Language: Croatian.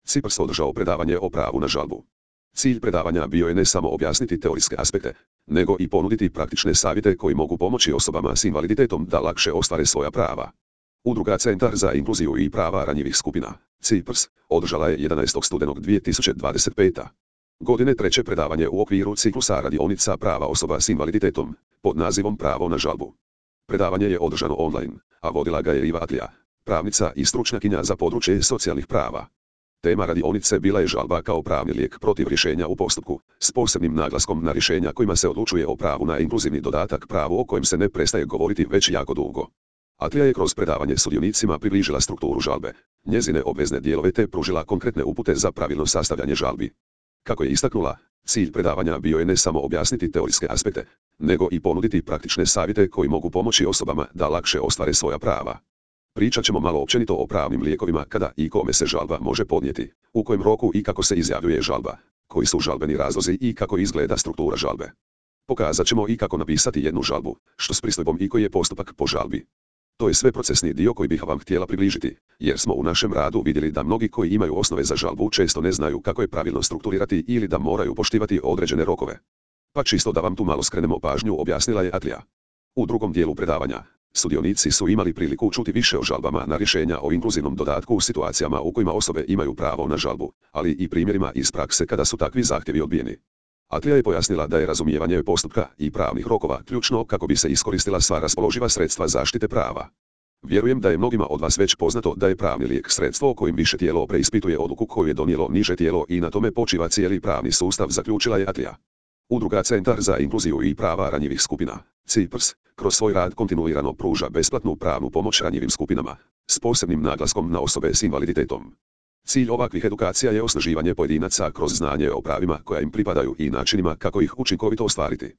Cyprus održao predavanje o pravu na žalbu. Cilj predavanja bio je ne samo objasniti teorijske aspekte, nego i ponuditi praktične savjete koji mogu pomoći osobama s invaliditetom da lakše ostvare svoja prava. Udruga Centar za inkluziju i prava ranjivih skupina, Cyprus, održala je 11. studenog 2025. godine treće predavanje u okviru ciklusa radionica prava osoba s invaliditetom, pod nazivom Pravo na žalbu. Predavanje je održano online, a vodila ga je Iva Atlija, pravnica i stručnjakinja za područje socijalnih prava. Tema radionice bila je žalba kao pravni lijek protiv rješenja u postupku, s posebnim naglaskom na rješenja kojima se odlučuje o pravu na inkluzivni dodatak, pravu o kojem se ne prestaje govoriti već jako dugo. Atlija je kroz predavanje sudionicima približila strukturu žalbe, njezine obvezne dijelove te pružila konkretne upute za pravilno sastavljanje žalbi. Kako je istaknula, cilj predavanja bio je ne samo objasniti teorijske aspekte, nego i ponuditi praktične savjete koji mogu pomoći osobama da lakše ostvare svoja prava. Pričat ćemo malo općenito o pravnim lijekovima, kada i kome se žalba može podnijeti, u kojem roku i kako se izjavljuje žalba, koji su žalbeni razlozi i kako izgleda struktura žalbe. Pokazat ćemo i kako napisati jednu žalbu, što s pristojbom i koji je postupak po žalbi. To je sve procesni dio koji bih vam htjela približiti, jer smo u našem radu vidjeli da mnogi koji imaju osnove za žalbu često ne znaju kako je pravilno strukturirati ili da moraju poštivati određene rokove. Pa čisto da vam tu malo skrenemo pažnju, objasnila je Atlija. U drugom dijelu predavanja, sudionici su imali priliku čuti više o žalbama na rješenja o inkluzivnom dodatku u situacijama u kojima osobe imaju pravo na žalbu, ali i primjerima iz prakse kada su takvi zahtjevi odbijeni. Atlija je pojasnila da je razumijevanje postupka i pravnih rokova ključno kako bi se iskoristila sva raspoloživa sredstva zaštite prava. Vjerujem da je mnogima od vas već poznato da je pravni lijek sredstvo kojim više tijelo preispituje odluku koju je donijelo niže tijelo i na tome počiva cijeli pravni sustav, zaključila je Atlija. Udruga Centar za inkluziju i prava ranjivih skupina, Cyprus, kroz svoj rad kontinuirano pruža besplatnu pravnu pomoć ranjivim skupinama, s posebnim naglaskom na osobe s invaliditetom. Cilj ovakvih edukacija je osnaživanje pojedinaca kroz znanje o pravima koja im pripadaju i načinima kako ih učinkovito ostvariti.